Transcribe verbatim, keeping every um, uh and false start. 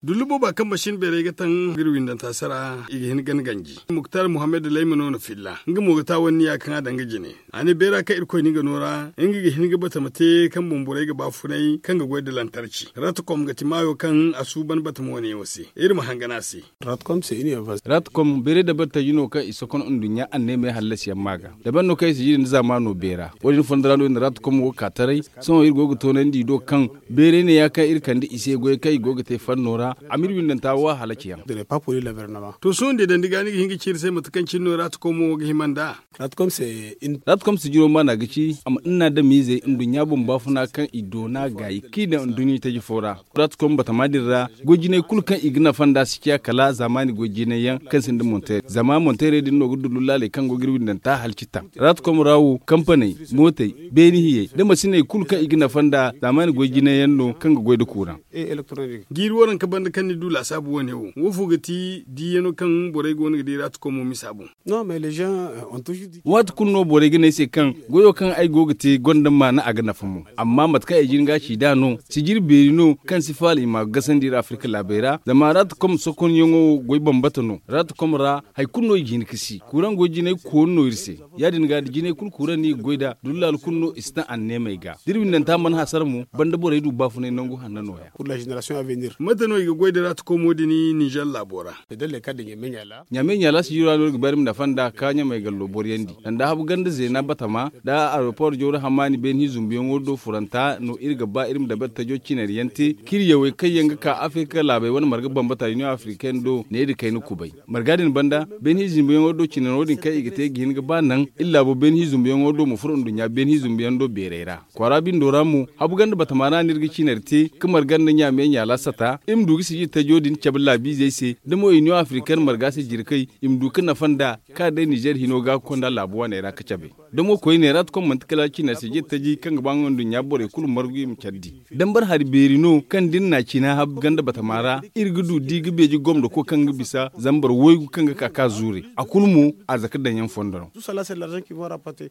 Dullu booba kaŋ masin beeray ga taŋ ga iri windanta sara i ga hin ga ni ganji. Muktar muhammad layma no na filla nga mo ga taawanniya kaŋ a daŋ ga jine. A ne beera kaŋ irkoy no nga no ra nga ga hin ga batama te kaŋ boŋ borey ga baafunay kaŋ ga goy nda lantarci. Ratkom ga ti maayo kaŋ a suuban batama wane yaŋo se. Iri ma hangan a se. Ratkom beeray dabari taji no kaŋ i sokono nduɲɲa anneemey hallasiyaŋ maa ga. Dabari no kaŋ i si jiri nda zaamaano beera wo- din fondo ra no iri na ratkom wo ka taray. Sohõ iri go ga toonandi i do kaŋ beeray ne ya kaŋ iri kande i se goyey kaŋ i go ga te fanno ra. A ma iri windanta wo a halaci yaŋ. To sohõ da i daŋ ni ga ni ga hin ga ci iri se mate kaŋ cine no ratkom wo ga hima nd'a. Ratkom sijiro maana ga ci a ma nnaadamizey nduɲɲa boŋ baafuna kaŋ i doona gaayi kaŋ i daŋ nduɲɲa taji fo ra. Ratkom batama din ra goy jinay kulu kaŋ i ga nafa nd'a si ciya kala zaamaani goy jinay yaŋ kaŋ sinda monteerey zama monteerey din no ga dullu laaley kaŋ go ga iri windanta halci taŋ. Ratkom ra wo kampaney, mootey, beeni hiyey nda masiney kulu kaŋ i ga nafa nd'a zaamaani goy jinay yaŋ no kaŋ ga goy nda kuuraŋ. Jiiri waranka banda kaŋ ni du laasaabu wane wo woofo ga ti diiyano kaŋ borey go no ga di ratkom wo misa boŋ? Waati kulu no borey ga ne ay se kaŋ goyo kaŋ ay go ga te gonda maana a ga nafa mo. Amma mate kaŋ ay jin ga a ci nd'a no sijiri beeri no kaŋ si faala i ma a ga gasandi iri afirka laabey ra zama ratkom sokonyaŋo wo goy bambata no. Ratkom ra hari kulu no i ga hin ga si kuuraŋ goy jinay koonu no iri se. Ya- din ga da jinay kulu kuuraŋ no i ga goy nd'a dullaali kulu no i si taŋ anneemey ga da iri windanta mana hasara mo banda borey du baafunay nangu hanna nooya. Mate no i ga goy nda ratkom wo- din ninzeer laabo ra? Ɲaamey ɲaala sijiro ra no iri ga bay iri ma nafa nd'a ka ɲamey gallo boryandi sanda habu ganda zeena batama nda aeropor jawra hamaani beeni hi zumbuyaŋo do furanta no iri ga ba iri ma dabari tajo cinari yaŋ te kaŋ iri yawey kaŋ yaŋ ga ka afirka laabey wane marga bambata iniyoŋ afirikaine do ne nda kayna kubay. Marga din banda beeni hi zumbuyaŋo do cinari wo- din kaŋ i ga te ga hin ga ba naŋ iri laabo beeni hi zumbuyaŋo do ma furo nduɲɲa beeni hi zumbuyaŋ do beeray ra. Kwaara bindo ra mo habu ganda batama ra no iri ga cinari te ka marga nda ɲaamey ɲaala sata iri ma du ga sijiri tajo din cabe laabiizey se da mo iniyoŋ afirikaine marga se jirkey i ma du ga nafa nd'a kaŋ a day ninzeer hino ga ga konda laabu waaney ra ga cabe. Da mo koyne ra ti kom manti kala cinari sijiri taji kaŋ ga ba nga nduɲɲa borey kulu margu i ma care di. Dambar hari beeri no kaŋ da iri n'a cina habu ganda batama ra iri ga du da i ga beeji gomdo koy kaŋ ga bisa zambar waygu kaŋ ga ka ga zuure a kulu mo arzaka daŋ yaŋ fondo no.